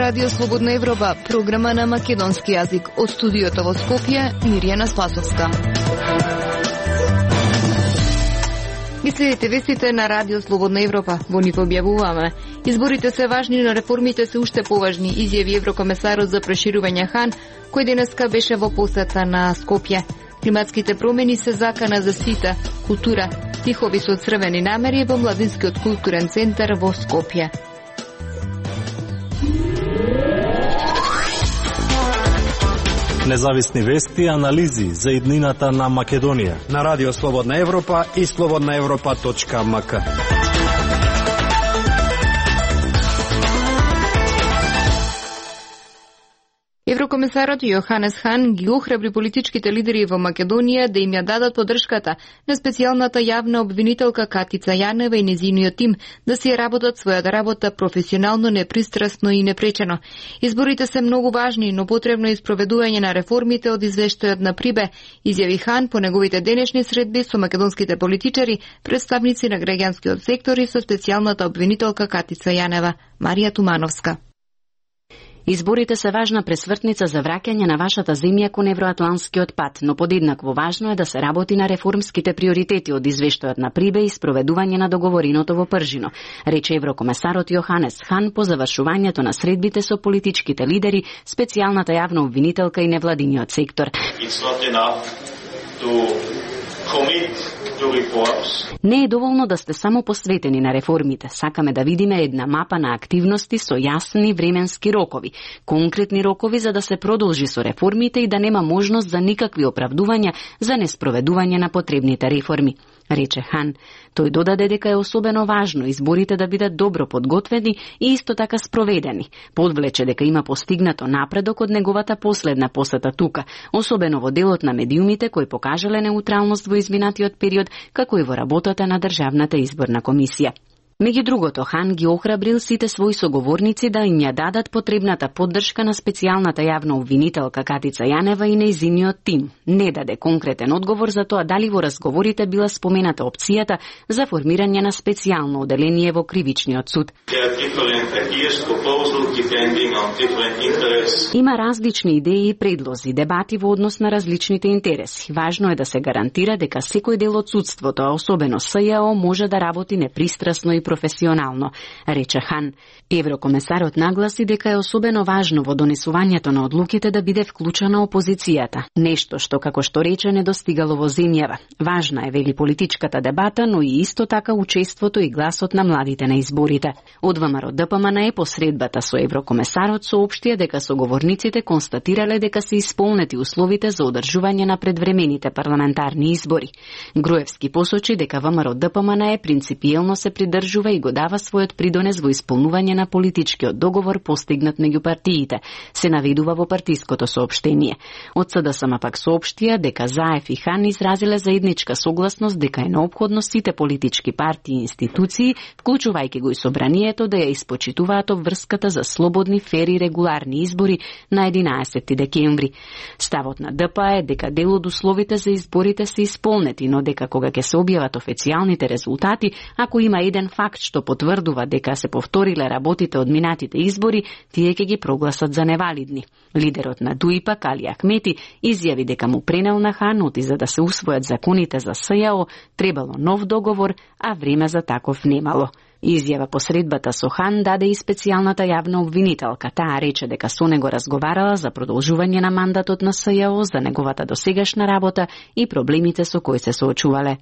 Радио Слободна Европа, програма на македонски јазик. Од студиото во Скопје, Мирјана Спасовска. Ги следите вестите на Радио Слободна Европа. Во нив објавуваме: изборите се важни, но реформите се уште поважни, изјави еврокомесарот за проширување Хан, кој денеска беше во посета на Скопје. Климатските промени се закана за сите. Култура, стихови со црвени намери во Младинскиот културен центар во Скопје. Независни вести и анализи за иднината на Македонија на Радио Слободна Европа и slobodnaevropa.mk. Еврокомесарот Јоханес Хан ги охрабри политичките лидери во Македонија да им ја дадат поддршката на специјалната јавна обвинителка Катица Јанева и незиниот тим да си работат својата работа професионално, непристрасно и непречено. Изборите се многу важни, но потребно е испроведување на реформите од извештајот на Прибе, изјави Хан по неговите денешни средби со македонските политичари, представници на граѓанскиот сектор и со специјалната обвинителка Катица Јанева. Марија Тумановска. Изборите се важна пресвртница за враќање на вашата земја кон евроатланскиот пат, но подеднакво важно е да се работи на реформските приоритети од извештајот на Прибе и спроведување на договореното во Пржино, рече еврокомесарот Јоханес Хан по завршувањето на средбите со политичките лидери, специјалната јавна обвинителка и невладиниот сектор. Не е доволно да сте само посветени на реформите. Сакаме да видиме една мапа на активности со јасни временски рокови, конкретни рокови за да се продолжи со реформите и да нема можност за никакви оправдувања за неспроведување на потребните реформи, рече Хан. Тој додаде дека е особено важно изборите да бидат добро подготвени и исто така спроведени. Подвлече дека има постигнато напредок од неговата последна посета тука, особено во делот на медиумите кои покажале неутралност во изминатиот период, како и во работата на Државната изборна комисија. Меѓу другото, Хан ги охрабрил сите своји соговорници да им ја дадат потребната поддршка на специјалната јавна обвинителка Катица Јанева и нејзиниот тим. Не даде конкретен одговор за тоа дали во разговорите била спомената опцијата за формирање на специјално оделение во кривичниот суд. Има различни идеи и предлози, дебати во однос на различните интереси. Важно е да се гарантира дека секој дел од судството, а особено СЈО, може да работи непристрасно и професионално, рече Хан. Еврокомесарот нагласи дека е особено важно во донесувањето на одлуките да биде вклучена опозицијата, нешто што, како што рече, не достигало во земјава. Важна е, вели, политичката дебата, но и исто така учеството и гласот на младите на изборите. Од ВМРО ДПМН по средбата со еврокомесарот соопштија дека соговорниците констатирале дека се исполнети условите за одржување на предвремените парламентарни избори. Груевски посочи дека ВМРО ДПМН принципиелно се придржува и го дава својот придонес во исполнување на политичкиот договор постигнат меѓу партиите, се наведува во партиското соопштение. Од СДСМ пак соопштија дека Заев и Хан изразиле заедничка согласност дека е неопходно сите политички партии и институции, вклучувајќи го и собранието, да ја испочитуваат обврската за слободни, фери и регуларни избори на 11 декември. Ставот на ДП е дека дел од условите за изборите се исполнети, но дека кога ќе се објават официјалните резултати, ако има еден факт што потврдува дека се повториле работите од минатите избори, тие ќе ги прогласат за невалидни. Лидерот на ДУИ-па, Али Ахмети, изјави дека му пренел на Хан оти за да се усвојат законите за СЈО, требало нов договор, а време за таков немало. Изјава по средбата со Хан даде и специјалната јавна обвинителка. Таа рече дека со него разговарала за продолжување на мандатот на СЈО, за неговата досегашна работа и проблемите со кои се соочувале.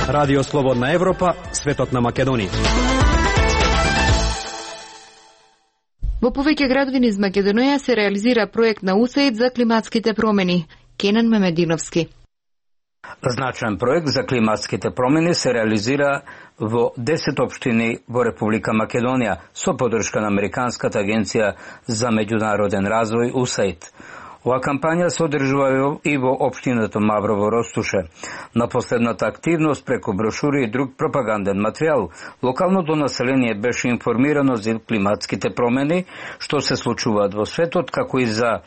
Радио Слободна Европа, светот на Македонија. Во повеќе градови низ Македонија се реализира проект на УСАИД за климатските промени. Кенан Мемединовски. Значаен проект за климатските промени се реализира во 10 општини во Република Македонија со поддршка на Американската агенција за меѓународен развој УСАИД. Ова кампања се одржува и во општината Маврово Ростуше. На последната активност преку брошури и друг пропаганден материјал, локалното население беше информирано за климатските промени што се случуваат во светот, како и за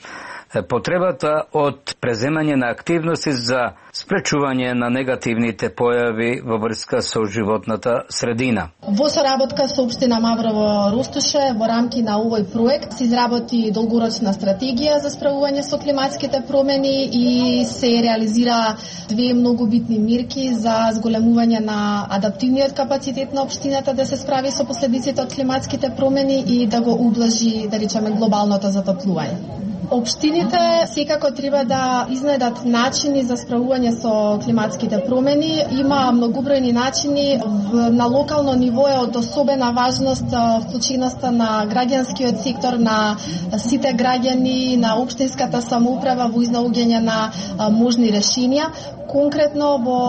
потребата од преземање на активности за спречување на негативните појави во врска со животната средина. Во соработка со општина Маврово Ростуше во рамки на овој проект се изработи долгорочна стратегија за справување со климатските промени и се реализира две многу битни мерки за зголемување на адаптивниот капацитет на општината да се справи со последиците од климатските промени и да го ублажи, да речеме, глобалното затоплување. Општините секако треба да изнајдат начини за справување со климатските промени. Има многобројни начини. На локално ниво е од особена важност вклученоста на граѓанскиот сектор, на сите граѓани, на општинската самоуправа во изнаоѓање на можни решенија. Конкретно во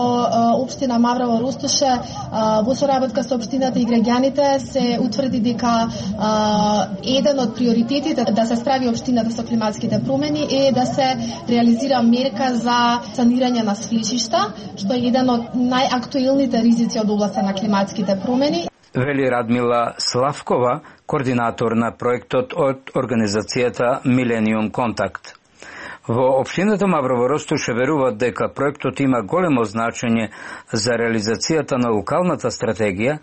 општина Маврово Ростуше во соработка со општината и граѓаните се утврди дека еден од приоритетите да се справи општината со климатските промени е да се реализира мерка за санирање на свлечишта, што е еден од најактуелните ризици од областа на климатските промени. Вели Радмила Славкова, координатор на проектот од организацијата Millennium Contact. Во општината Маврово Ростуше веруваат дека проектот има големо значење за реализацијата на локалната стратегија,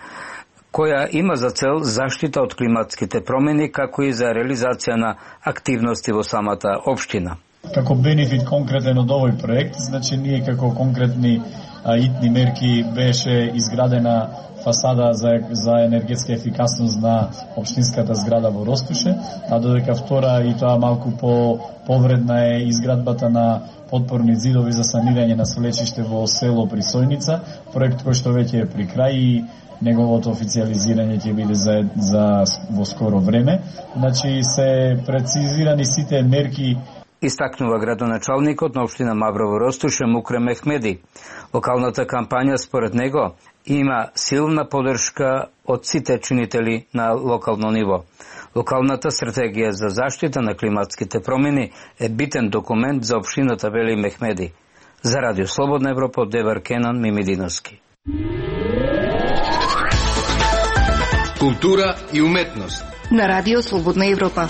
која има за цел заштита од климатските промени, како и за реализација на активности во самата општина. Како бенефит конкретен од овој проект, значи ние како конкретни итни мерки беше изградена фасада за енергетска ефикасност на општинската зграда во Ростуше, а додека втора и тоа малку повредна е изградбата на подпорни зидови за санирање на свлечиште во село Присојница, проект кој што веќе е при крај и неговото официализирање ќе биде за во скоро време. Значи се прецизирани сите мерки. Истакнува градоначалникот на општина Маврово Ростуше Мукре Мехмеди. Локалната кампања според него има силна поддршка од сите чинители на локално ниво. Локалната стратегија за заштита на климатските промени е битен документ за општината, вели Мехмеди. За Радио Слободна Европа од Девар Кенан Мимидиновски. Култура и уметност на Радио Слободна Европа.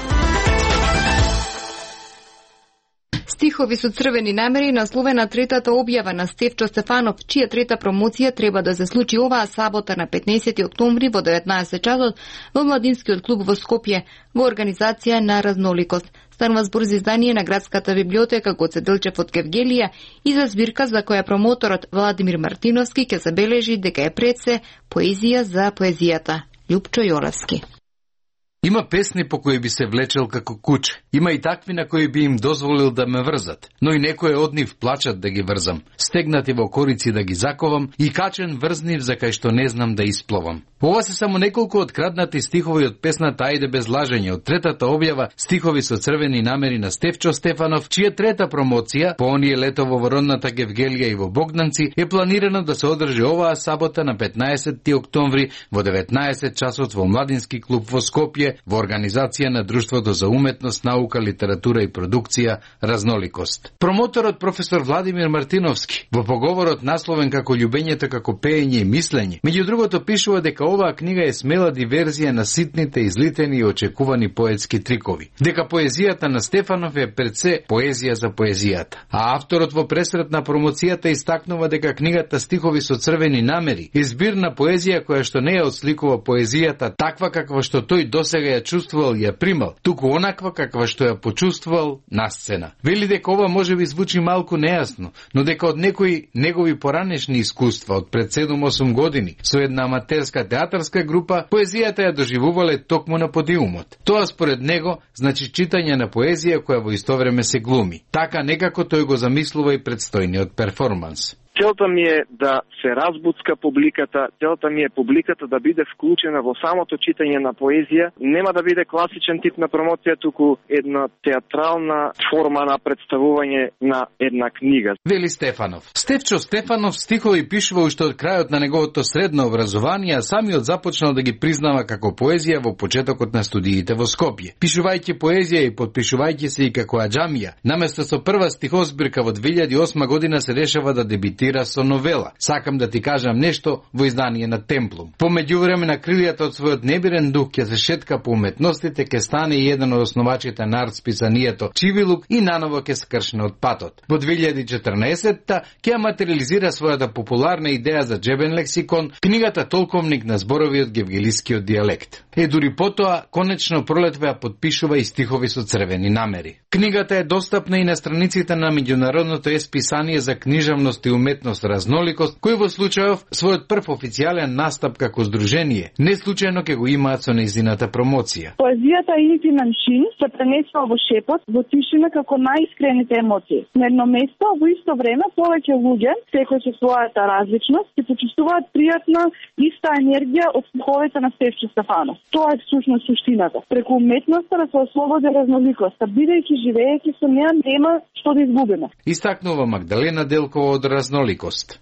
Стихови со црвени намери насловена третата објава на Стефчо Стефанов, чија трета промоција треба да се случи оваа сабота на 15 октомври во 19 часот во Младинскиот клуб во Скопје во организација на Разноликост. Станува збор за издание на градската библиотека Гоце Делчев од Кевгелија и за збирка за која промоторот Владимир Мартиновски ќе забележи дека е пред се поезија за поезијата. Љупчо Јолевски. Има песни по кои би се влечел како куче. Има и такви на кои би им дозволил да ме врзат. Но и некои од нив плачат да ги врзам. Стегнати во корици да ги заковам и качен врзнив за кај што не знам да испловам. Ова се само неколку откраднати стихови од песната Ајде без лажење од третата објава стихови со црвени намери на Стефчо Стефанов, чија трета промоција по оние летово во родната Гевгелија и во Богданци е планирано да се одржи оваа сабота на 15 октомври во 19 часот во Младински клуб во Скопје во организација на Друштвото за уметност, наука, литература и продукција Разноликост. Промоторот професор Владимир Мартиновски во поговорот насловен како Љубењето како пеење и мислење, меѓу другото пишува дека оваа книга е смела диверзија на ситните, излитени и очекувани поетски трикови. Дека поезијата на Стефанов е пред се поезија за поезијата. А авторот во пресрет на промоцијата истакнува дека книгата Стихови со црвени намери е збир на поезија која што не ја отсликува поезијата таква каква што тој досега ја чувствувал и ја примал, туку онаква каква што ја почувствувал на сцена. Вели дека ова може би звучи малку нејасно, но дека од некои негови поранешни искуства од пред 7-8 години со една аматерска театарска група, поезијата ја доживувале токму на подиумот. Тоа според него значи читање на поезија која во исто време се глуми. Така некако тој го замислува и предстојниот перформанс. Целта ми е да се разбуцка публиката, целта ми е публиката да биде вклучена во самото читање на поезија. Нема да биде класичен тип на промоција, туку една театрална форма на представување на една книга. Вели Стефанов. Стефчо Стефанов стихови пишува уште од крајот на неговото средно образование, а самиот започнал да ги признава како поезија во почетокот на студиите во Скопје. Пишувајќи поезија и подпишувајќи се и како аџамија, наместо со прва стихозбирка во 2008 година се решава да дебитира со новела. Сакам да ти кажам нешто во издание на Темплум. По меѓувреме на крилјата од својот небирен дух ќе се шетка по уметностите, ќе стане и еден од основачите на артсписанието Чивилук и наново ќе скршне од патот. Во 2014-та ќе материализира својата популарна идеја за џебен лексикон, книгата Толковник на зборови од гевгелискиот дијалект. Дури потоа, конечно пролетва ја подпишува и стихови со црвени намери. Книгата е достапна и на страниците на меѓународното есписание за книжевност и уметност Разноликост, кој во случајов својот прв официјален настап како здружение, не случајно ќе го имаат со нејзината промоција. Поезијата е интимен чин, се пренесува во шепот, во тишина како најискрените емоции. На едно место, во исто време, повеќе луѓе, секој со својата различност, се почувствуваат пријатна иста енергија од стиховите на Стефчо Стефанов. Тоа е всушност суштината. Преку уметноста да се ослободи разноликоста, бидејќи живеејќи со неа нема што да изгубиме. Истакнува Магдалена Делкова од Разноликост.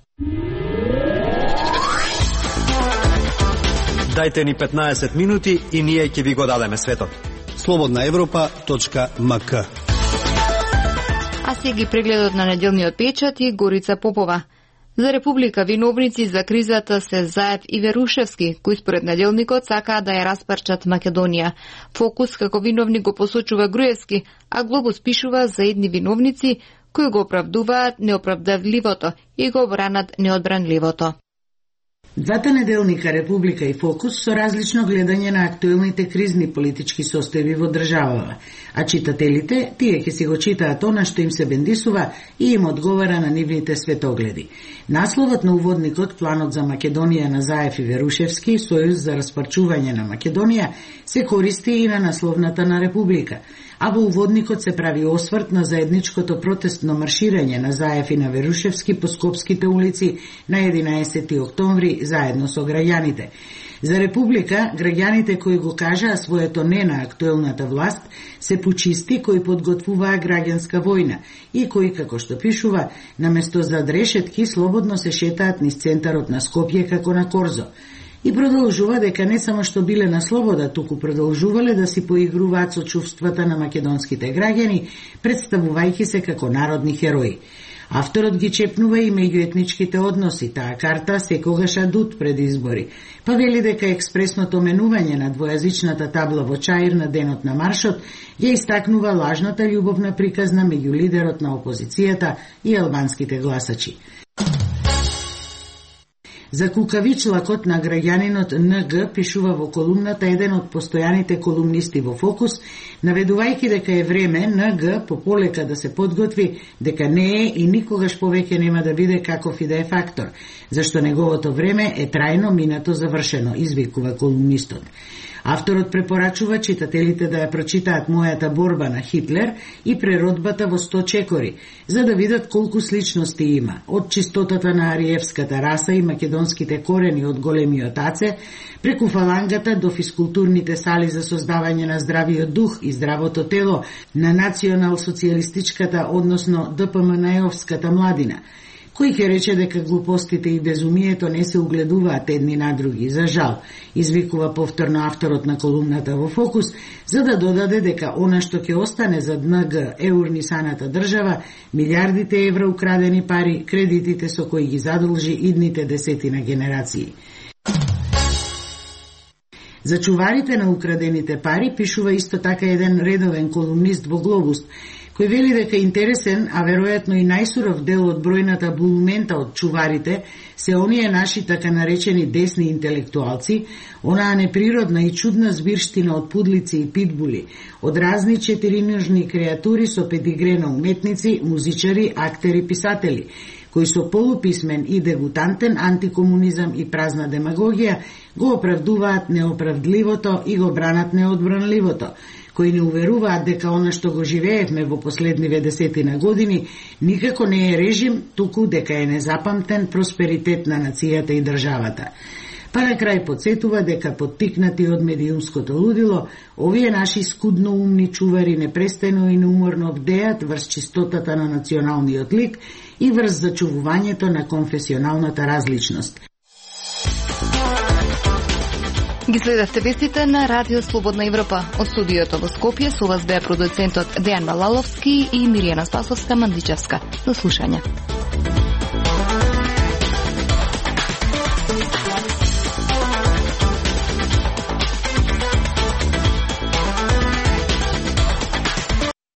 Дајте ни 15 минути и ние ќе ви го дадеме светот. Слободнаевропа.мк. А сега прегледот на неделниот печат и Горица Попова. За Република виновници за кризата се Заев и Верушевски, кои според неделникот сакаа да ја распарчат Македонија. Фокус како виновник го посочува Груевски, а Глобус пишува за едни виновници кои го оправдуваат неоправдавливото и го бранат неодбранливото. Двата неделника Република и Фокус со различно гледање на актуелните кризни политички состојби во државава, а читателите, тие ќе си го читаат она што им се бендисува и им одговара на нивните светогледи. Насловот на уводникот Планот за Македонија на Заев и Верушевски, Сојуз за распарчување на Македонија, се користи и на насловната на Република, а во уводникот се прави осврт на заедничкото протестно марширање на Заев и на Верушевски по скопските улици на 11. октомври заедно со граѓаните. За Република, граѓаните кои го кажаа своето не на актуелната власт се пучисти кои подготвуваа граѓанска војна и кои, како што пишува, наместо зад решетки слободно се шетаат низ центарот на Скопје како на корзо. И продолжува дека не само што биле на слобода, туку продолжувале да си поигруваат со чувствата на македонските граѓани, представувајќи се како народни херои. Авторот ги чепнува и меѓуетничките односи, таа карта секогаш адут пред избори. Па вели дека експресното менување на двојазичната табла во Чаир на денот на маршот ја истакнува лажната љубовна приказна меѓу лидерот на опозицијата и албанските гласачи. За кукавичлакот на граѓанинот НГ пишува во колумната еден од постојаните колумнисти во Фокус, наведувајќи дека е време НГ пополека да се подготви, дека не е и никогаш повеќе нема да биде каков и да е фактор, зашто неговото време е трајно минато завршено, извикува колумнистот. Авторот препорачува читателите да ја прочитаат Мојата борба на Хитлер и преродбата во 100 чекори, за да видат колку сличности има, од чистотата на ариевската раса и македонските корени од големиот аце, преку фалангата до физкултурните сали за создавање на здравиот дух и здравото тело на национал-социјалистичката, односно ДПМН-овската младина, кој ќе рече дека глупостите и безумието не се угледуваат едни на други. За жал, извикува повторно авторот на колумната во Фокус, за да додаде дека она што ќе остане за НГ е урнисаната држава, милиардите евра украдени пари, кредитите со кои ги задолжи идните десетина генерации. За чуварите на украдените пари пишува исто така еден редовен колумнист во Глобус, кој вели дека интересен, а веројатно и најсуров дел од бројната булумента од чуварите се оние наши така наречени десни интелектуалци, онаа неприродна и чудна збирштина од пудлици и питбули, од разни четириножни креатури со педигре на уметници, музичари, актери, писатели, кои со полуписмен и дегутантен антикомунизам и празна демагогија го оправдуваат неоправдливото и го бранат неодбранливото, кои не уверуваат дека она што го живеевме во последниве десетина години никако не е режим, туку дека е незапамтен просперитет на нацијата и државата. Па на крај подсетува дека поттикнати од медиумското лудило, овие наши скудно умни чувари непрестано и неуморно бдеат врз чистотата на националниот лик и врз зачувувањето на конфесионалната различност. Ги следевте вестите на Радио Слободна Европа. Од студиото во Скопје со вас беа продуцентот Дејан Балаловски и Миријана Спасовска-Мандичевска. До слушање.